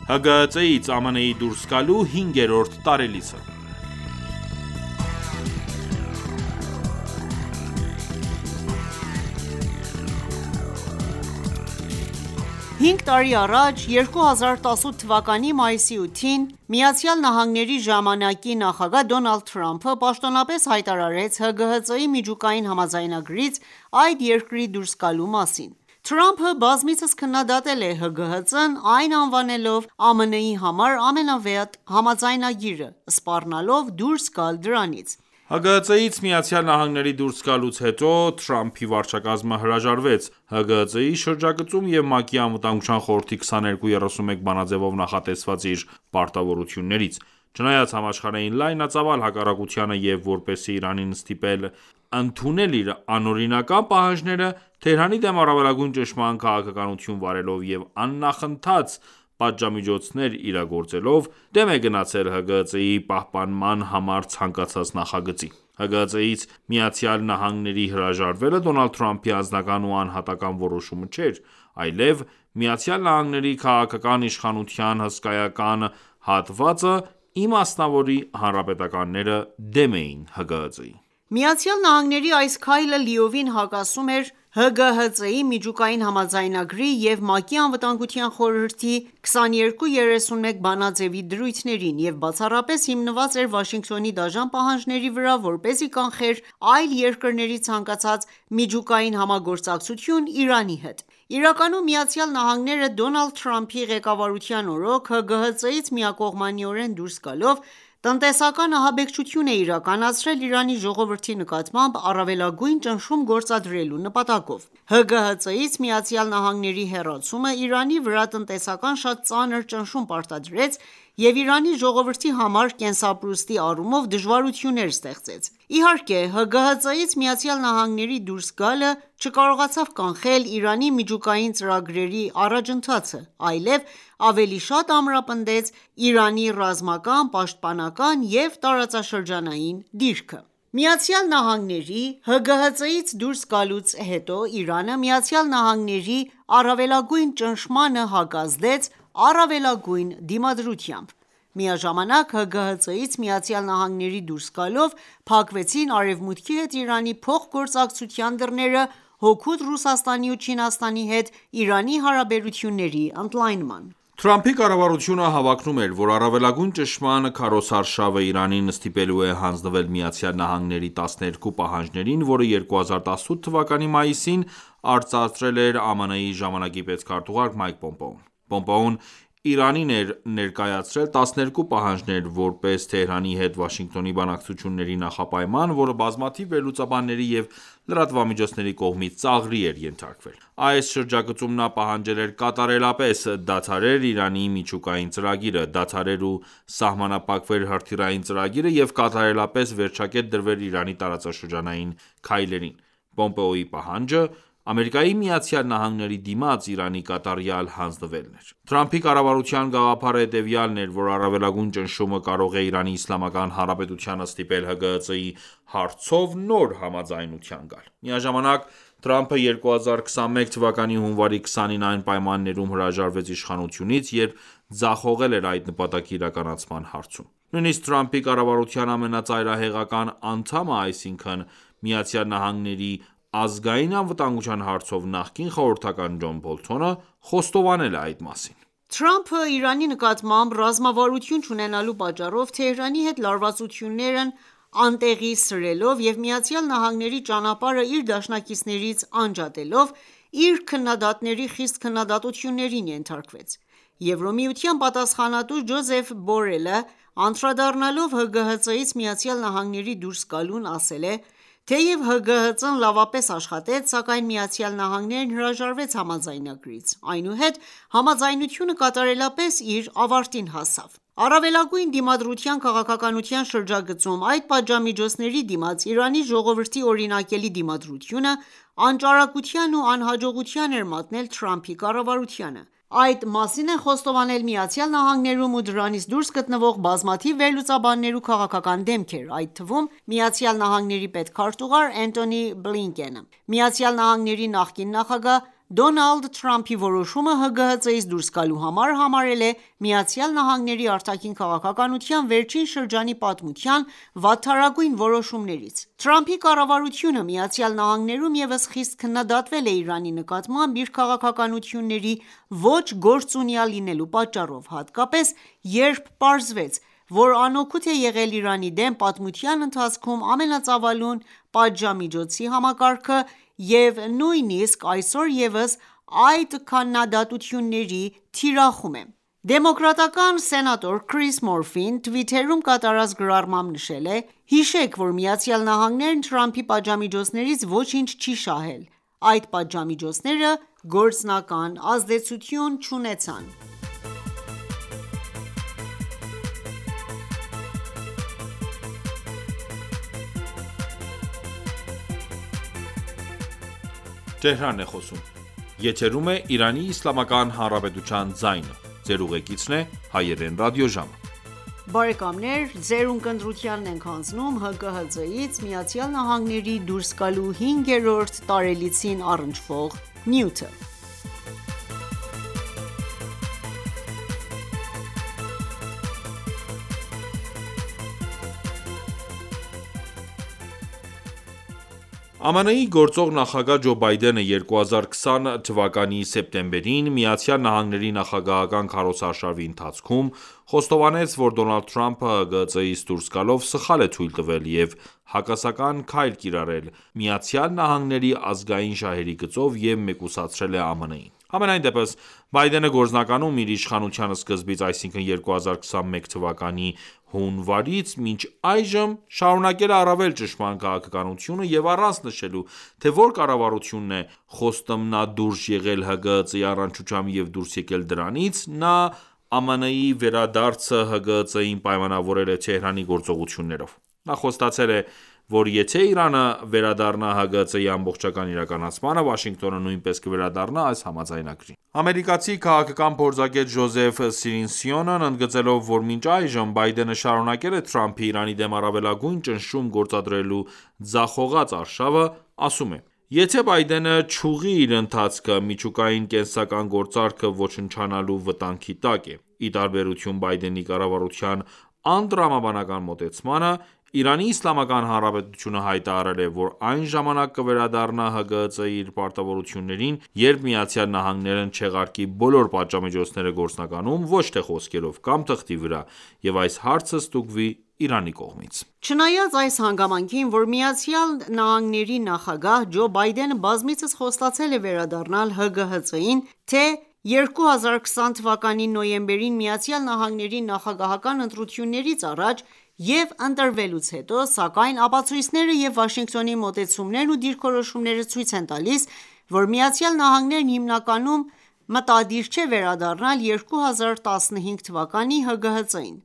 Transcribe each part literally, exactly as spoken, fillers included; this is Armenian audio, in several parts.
Հ Գ Ծ Ից Ամն Ի դուրս գալու հինգերորդ տարելիցը Հինգ տարի առաջ երկու հազար տասութ թվականի մայիսի ութին ԱՄՆ-ի ժամանակի նախագահ Դոնալդ Թրամփը պաշտոնապես հայտարարեց Հ Գ Հ Ծ-ի միջուկային համաձայնագրից այդ երկրի դուրս գալու մասին: Թրամփը բազմիցս քննադատել է Հ Գ Հ Ծ-ն, այն անվանելով ԱՄՆ-ի համար ամենավեհ համաձայնագիրը, սպառնալով դուրս գալ դրանից: Հ Գ Հ Ծ-ից ԱՄՆ-ի դուրս գալուց հետո Թրամփի վարչակազմը հրաժարվեց Հ Գ Հ Ծ-ի շրջագծում և ՄԱԿ-ի Անվտանգության խորհրդի քսաներկու երեսունմեկ բանաձևով նախատեսված իր պարտավորություններից: Չնայած համաշխարհային լայնածավալ հակառակությանը և որպեսզի Իրանին ստիպել ընդունել իր անօրինական պահանջները, Թեհրանի դեմ առավելագույն ճնշման քաղաքականություն վարելով և աննախընթաց պատժամիջոցներ իրագործելով, դեմ է գնացել Հ Գ Հ Ծ-ի պահպանման համար ցանկացած նախագծի: Հ Գ Հ Ծ-ից ԱՄՆ-ի հրաժարվելը Դոնալդ Թրամփի անձնական ու անհատական որոշումը չէր, այլև ԱՄՆ-ի քաղաքական իշխանության հսկայական հատվածը իմասնավորի հանրապետականները դեմ էին Հ Գ Հ Ծ-ի: ԱՄՆ-ի այս քայլը լիովին հակասում էր Հ Գ Հ Ծ-ի միջուկային համաձայնագրի և ՄԱԿ-ի Անվտանգության խորհրդի քսաներկու երեսունմեկ բանաձեւի դրույթներին և բացառապես հիմնված էր Վաշինգտոնի դաժան պահանջների վրա, որպեսզի կանխեր այլ երկրների ցանկացած միջուկային համագործակցություն Իրանի հետ: Իրականում ԱՄՆ-ը Դոնալդ Թրամփի ղեկավարության օրոք Հ Գ Հ Ծ-ից միակողմանիորեն դուրս գալով, տնտեսական ահաբեկչություն է իրականացրել Իրանի ժողովրդի նկատմամբ առավելագույն ճնշում գործադրելու նպատակով: Հ Գ Հ Ծ-ից ԱՄՆ-ի հեռացումը Իրանի վրա տնտեսական շատ ծանր ճնշում պարտադրեց և Իրանի ժողովրդի համար կենսապրուստի առումով դժվարություններ ստեղծեց: Իհարկե Հ Գ Հ Ծ-ից ԱՄՆ-ի դուրս գալը չկարողացավ կանխել Իրանի միջուկային ծրագրերի առաջընթացը, այլև ավելի շատ ամրապնդեց Իրանի ռազմական, պաշտպանական և տարածաշրջանային դիրքը: ԱՄՆ-ի Հ Գ Հ Ծ-ից դուրս գալուց հետո Իրանը ԱՄՆ-ի առավելագույն ճնշմանը հակազդեց առավելագույն դիմադրությամբ: Միաժամանակ Հ Գ Հ Ծ-ից ԱՄՆ-ի դուրս գալով փակվեցին Արևմուտքի հետ Իրանի փոխգործակցության դռները հօգուտ Ռուսաստանի ու Չինաստանի հետ Իրանի հարաբերությունների ընդլայնման: Թրամփի կառավարությունը հավակնում էր, որ առավելագույն ճնշման քարոզարշավը Իրանին ստիպելու է հանձնվել ԱՄՆ-ի տասներկու պահանջներին, որը երկու հազար տասութ թվականի մայիսին արծարծել էր Ամն Ի ժամանակի պետքարտուղար Մայք Պոմպեոն: Պոմպեոն Իրանին էր ներկայացրել տասներկու պահանջներ, որպես Թեհրանի հետ Վաշինգտոնի բանակցությունների նախապայման, որը բազմաթիվ վերլուծաբանների և լրատվամիջոցների կողմից ծաղրի էր ենթարկվել: Այս շրջագծում նա պահանջել էր կատարելապես դադարել Իրանի միջուկային ծրագիրը, դադարել ու սահմանափակվել հրթիռային ծրագիրը և կատարելապես վերջակետ դրվել Իրանի տարածաշրջանային քայլերին: Պոմպեոյի պահանջը ԱՄՆ-ի դիմաց Իրանի կատարյալ հանձնվելն էր: Թրամփի կառավարության գաղափարը հետևյալն էր, որ առավելագույն ճնշումը կարող է Իրանի Իսլամական Հանրապետությանը ստիպել Հ Գ Հ Ծ-ի հարցով նոր համաձայնության գալ: Միաժամանակ Թրամփը երկու հազար քսանմեկ թվականի հունվարի քսանին այն պայմաններում հրաժարվեց իշխանությունից, երբ ձախողել էր այդ նպատակի իրականացման հարցում: Նույնիսկ Թրամփի կառավարության ամենածայրահեղական անդամը, այսինքն ԱՄՆ-ի ազգային անվտանգության հարցով նախկին խորհրդական Ջոն Բոլթոնը, խոստովանել է այդ մասին: Թրամփը Իրանի նկատմամբ ռազմավարություն չունենալու պատճառով Թեհրանի հետ լարվածություններն անտեղի սրելով և ԱՄՆ-ի ճանապարհը իր դաշնակիցներից անջատելով, իր քննադատների խիստ քննադատություններին ենթարկվեց: Եվրամիության պատասխանատու Ջոզեֆ Բորելը, անդրադառնալով Հ Գ Հ Ծ-ից ԱՄՆ-ի դուրս գալուն, ասել է. «Թեև Հ Գ Հ Ծ-ն լավապես աշխատեց, սակայն ԱՄՆ-ն հրաժարվեց համաձայնագրից, այնուհետ համաձայնությունը կատարելապես իր ավարտին հասավ»: Առավելագույն դիմադրության քաղաքականության շրջագծում այդ պատժամիջոցների դիմաց Իրանի ժողովրդի օրինակելի դիմադրությունը անճարակության ու անհաջողության էր մատնել Թրամփի կառավարությանը: Այդ մասին են խոստովանել ԱՄՆ-ում ու դրանից դուրս գտնվող բազմաթիվ վերլուծաբաններ ու քաղաքական դեմքեր, այդ թվում ԱՄՆ պետքարտուղար Էնթոնի Բլինկենը: ԱՄՆ-ի նախկին նախագահ Դոնալդ Թրամփի որոշումը ՀԳՀԾ-ից դուրս գալու համար համարել է ԱՄՆ-ի արտաքին քաղաքականության վերջին շրջանի պատմության վատթարագույն որոշումներից: Թրամփի կառավարությունը ԱՄՆ-ում ևս խիստ քննադատվել է Իրանի նկատմամբ իր քաղաքականությունների ոչ գործունյա լինելու պատճառով, հատկապես երբ պարզվեց, որ անօգուտ է եղել Իրանի դեմ պատմության ընթացքում ամենածավալուն պատժամիջոցի համակարգը և նույնիսկ այսօր ևս այդ քաննադատությունների թիրախում է: Դեմոկրատական սենատոր Քրիս Մորֆին Twitter-ում կատարած գրառմամբ նշել է.«Հիշեք, որ ԱՄՆ-ն Թրամփի պատժամիջոցներից ոչինչ չի շահել: Այդ պատժամիջոցները գործնական ազդեցություն չունեցան»: ԱՄՆ-ի գործող նախագահ Ջո Բայդենը երկու հազար քսան թվականի սեպտեմբերին ԱՄՆ նախագահական քարոզարշավի ընթացքում խոստովանեց, որ Դոնալդ Թրամփը ՀԳՀԾ-ից դուրս գալով սխալ է թույլ տվել և հակասական քայլ կիրառել ԱՄՆ ազգային շահերի գծով և մեկուսացրել է ԱՄՆ-ին: Համենայնդեպս, Բայդենը գործնականում իր իշխանության սկզբից, այսինքն երկու հազար քսանմեկ թվականի հունվարից մինչ այժմ, շարունակել է առավել ճշմարտ քաղաքականությունը և առանց նշելու, թե որ կառավարությունն է խոստմնադուրժ եղել ՀԳՀԾ-ի առնչությամբ և դուրս եկել դրանից, նա ԱՄՆ-ի վերադարձը ՀԳՀԾ-ին պայմանավորել է Թեհրանի գործողություններով: Նա խոստացել է, որ եթե Իրանը վերադառնա ՀԳՀԾ-ի ամբողջական իրականացմանը, Վաշինգտոնը նույնպես կվերադառնա այս համաձայնագրին: Ամերիկացի քաղաքական փորձագետ Ջոզեֆ Սիրինսյոնն ընդգծելով, որ մինչ այժմ Բայդենը շարունակել է Թրամփի Իրանի դեմ առավելագույն ճնշում գործադրելու ձախողած արշավը, ասում է.«Եթե Բայդենը չուղղի իր ընթացքը, միջուկային կենսական գործարքը ոչնչանալու վտանգի տակ է»: Ի տարբերություն Բայդենի կառավարության անտրամաբանական մոտեցմանը, Իրանի Իսլամական Հանրապետությունը հայտարարել է, որ այն ժամանակ կվերադառնա ՀԳՀԾ-ի իր պարտավորություններին, երբ ԱՄՆ-ն չեղարկի բոլոր պատժամիջոցները գործնականում, ոչ թե խոսքերով կամ թղթի վրա, և այս հարցը ստուգվի Իրանի կողմից: Չնայած այս հանգամանքին, որ ԱՄՆ նախագահ Ջո Բայդենը բազմիցս խոստացել է վերադառնալ ՀԳՀԾ-ին, թե երկու հազար քսան թվականի նոյեմբերին ԱՄՆ նախագահական ընտրություններից առաջ և ընտրվելուց հետո, սակայն ապացույցները և Վաշինգտոնի մոտեցումներն ու դիրքորոշումները ցույց են տալիս, որ ԱՄՆ-ն հիմնականում մտադիր չէ վերադառնալ երկու հազար տասնհինգ թվականի ՀԳՀԾ-ին: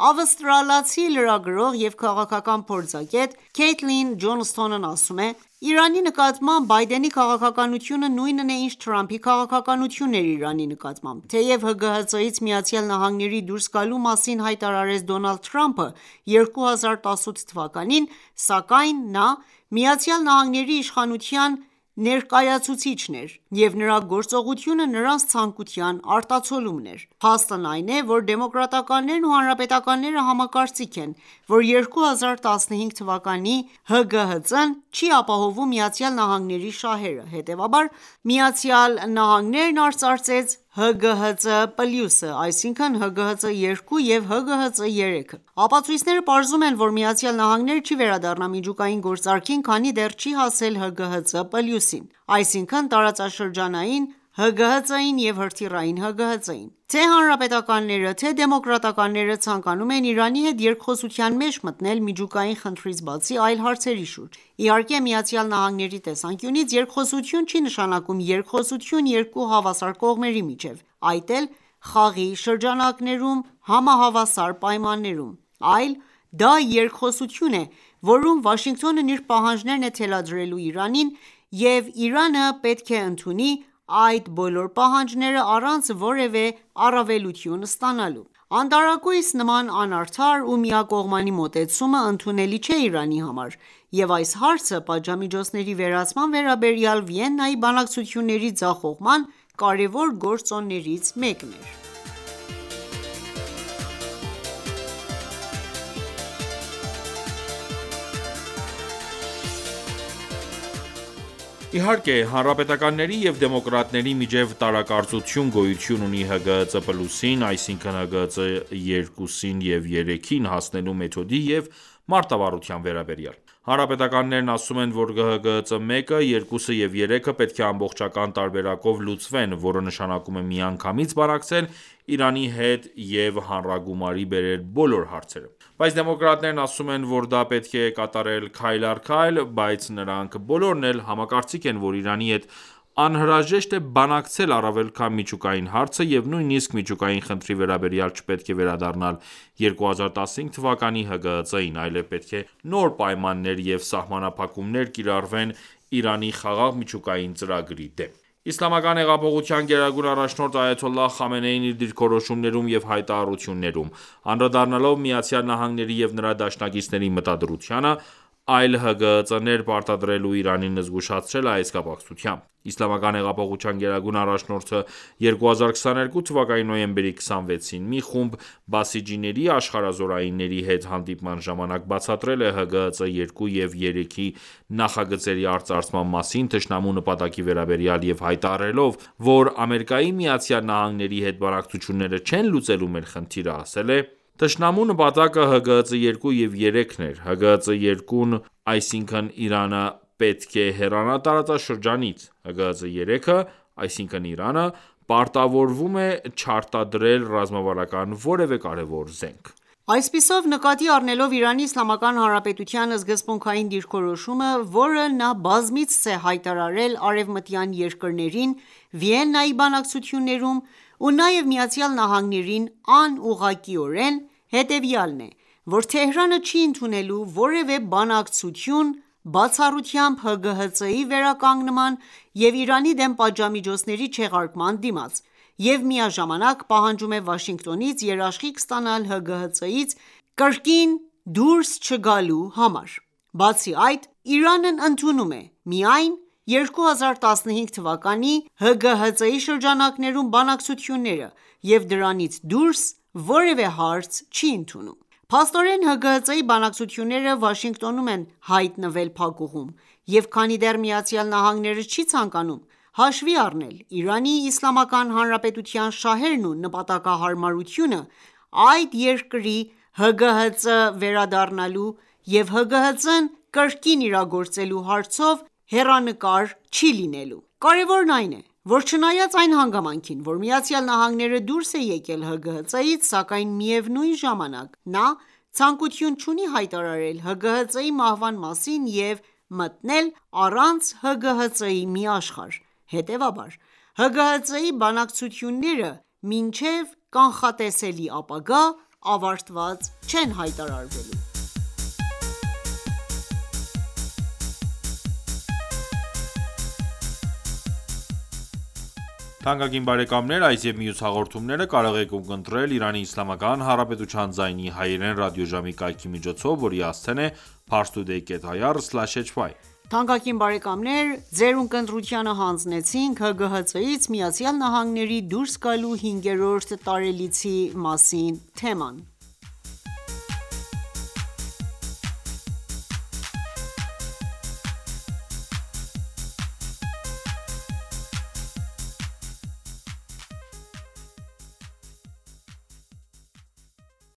Ավստրալացի լրագրող և քաղաքական փորձագետ Քեյթլին Ջոնսթոնն ասում է.«Իրանի նկատմամբ Բայդենի քաղաքականությունը նույնն է, ինչ Թրամփի քաղաքականությունն էր Իրանի նկատմամբ: Թեև ՀԳՀԾ-ից ԱՄՆ դուրս գալու մասին հայտարարեց Դոնալդ Թրամփը երկու հազար տասութ թվականին, սակայն նա ԱՄՆ իշխանության ներկայացուցիչն էր, և նրա գործողությունը նրանց ցանկության արտացոլումն էր: Փաստն այն է, որ դեմոկրատականներն ու հանրապետականները համակարծիք են, որ երկու հազար տասնհինգ թվականի ՀԳՀԾ-ն չի ապահովում ԱՄՆ շահերը, հետևաբար ԱՄՆ-ն արծարծեց ՀԳՀԾ+, այսինքն ՀԳՀԾ երկու և ՀԳՀԾ երեքը: Ապացույցները պարզում են, որ ԱՄՆ-ն չի վերադառնա միջուկային գործարքին, քանի դեռ չի հասել ՀԳՀԾ+-ին, այսինքն տարածաշրջանային ՀԳՀԾ-ին և հրթիռային ՀԳՀԾ-ին: Թե՛ հանրապետականները, թե՛ դեմոկրատականները ցանկանում են Իրանի հետ երկխոսության մեջ մտնել միջուկային խնդրից բացի այլ հարցերի շուրջ: Իհարկե, ԱՄՆ-ի տեսանկյունից երկխոսություն չի նշանակում երկխոսություն երկու հավասար կողմերի միջև, այդ էլ խաղի շրջանակներում համահավասար պայմաններում, այլ դա երկխոսություն է, որում Վաշինգտոնն իր պահանջներն է թելադրելու Իրանին, և Իրանը պետք է ընդունի այդ բոլոր պահանջները առանց որևէ առավելություն ստանալու: Անտարակույս նման անարդար ու միակողմանի մոտեցումը ընդունելի չէ Իրանի համար, և այս հարցը պատժամիջոցների վերացման վերաբերյալ Վիեննայի բանակցությունների ձախողման կարևոր գործոններից մեկն էր: Իհարկե, հանրապետականների և դեմոկրատների միջև տարակարծություն գոյություն ունի ՀԳՀԾ+-ին, այսինքն ՀԳՀԾ երկուսին և երեքին հասնելու մեթոդի և մարտավարության վերաբերյալ: Հանրապետականներն ասում են, որ ՀԳՀԾ մեկը, երկուսը և երեքը պետք է ամբողջական տարբերակով լուծվեն, որը նշանակում է միանգամից բանակցել Իրանի հետ և հանրագումարի բերել բոլոր հարցերը: Բայց դեմոկրատներն ասում են, որ դա պետք է կատարել քայլ առ քայլ, բայց նրանք բոլորն էլ համակարծիք են, որ Իրանի հետ անհրաժեշտ է բանակցել առավել քան միջուկային հարցը և նույնիսկ միջուկային խնդրի վերաբերյալ չպետք է վերադառնալ երկու հազար տասնհինգ թվականի ՀԳՀԾ-ին, այլև պետք է նոր պայմաններ և սահմանափակումներ կիրառվեն Իրանի խաղաղ միջուկային ծրագրի դեմ: Իսլամական հեղափոխության գերագույն առաջնորդ Այաթոլլահ Խամենեին իր դիրքորոշումներում և հայտարարություններում, անդրադառնալով ԱՄՆ-ի և նրա դաշնակիցների մտադրությանը, այլ ՀԳՀԾ-ներ պարտադրելու Իրանին զգուշացրել է այս կապակցությամբ: Իսլամական հեղափոխության գերագույն առաջնորդը երկու հազար քսաներկու թվականի նոյեմբերի քսանվեցին մի խումբ բասիջիների աշխարհազորայինների հետ հանդիպման ժամանակ բացատրել է ՀԳՀԾ երկու և երեքի նախագծերի արծարծման մասին թշնամու նպատակի վերաբերյալ և հայտարարելով, որ ԱՄՆ-ի հետ բանակցությունները չեն լուծելու մեր խնդիրը, ասել է. «Թշնամու նպատակը ՀԳՀԾ երկու և երեքն էր: ՀԳՀԾ երկուն, այսինքն Իրանը պետք է հեռանա տարածաշրջանից: ՀԳՀԾ երեքը, այսինքն Իրանը, պարտավորվում է չարտադրել ռազմավարական որևէ կարևոր զենք»: Այսպիսով, նկատի առնելով Իրանի Իսլամական Հանրապետության սկզբունքային դիրքորոշումը, որը նա բազմիցս է հայտարարել արևմտյան երկրներին Վիեննայի բանակցություններում ու նաև ԱՄՆ-ին անուղղակիորեն, հետևյալն է, որ Թեհրանը չի ընդունելու որևէ բանակցություն բացառությամբ ՀԳՀԾ-ի վերականգնման և Իրանի դեմ պատժամիջոցների չեղարկման դիմաց և միաժամանակ պահանջում է Վաշինգտոնից երաշխիք ստանալ ՀԳՀԾ-ից կրկին դուրս չգալու համար: Բացի այդ, Իրանն ընդունում է միայն երկու հազար տասնհինգ թվականի ՀԳՀԾ-ի շրջանակներում բանակցությունները և դրանից դուրս որևէ հարց չի ընդունում: Փաստորեն, ՀԳՀԾ-ի բանակցությունները Վաշինգտոնում են հայտնվել փակուղում, և քանի դեռ ԱՄՆ-ն չի ցանկանում հաշվի առնել Իրանի Իսլամական Հանրապետության շահերն ու նպատակահարմարությունը, այդ երկրի ՀԳՀԾ վերադառնալու և ՀԳՀԾ-ն կրկին իրագործելու հարցով հեռանկար չի լինելու: Կարևորն այն է, որ չնայած այն հանգամանքին, որ ԱՄՆ-ը դուրս է եկել ՀԳՀԾ-ից, սակայն միևնույն ժամանակ նա ցանկություն չունի հայտարարել ՀԳՀԾ-ի մահվան մասին և մտնել առանց ՀԳՀԾ-ի մի աշխարհ: Հետևաբար, ՀԳՀԾ-ի բանակցությունները մինչև կանխատեսելի ապագա ավարտված չեն հայտարարվելու: Այս և մյուս հաղորդումները կարող եք ունկնդրել «Իրանի Հանրապետության ձայնի հայերեն» ռադիոժամի կայքի միջոցով, որի հասցեն է parstoday կետ այ ռ սլաշ էյչ վայ: Թանկագին բարեկամներ Ձեր ունկնդրությանը հանձնեցինք ՀԳՀԾ-ից ԱՄՆ-ի դուրս գալու հինգերորդ տարելիցի մասին թեման: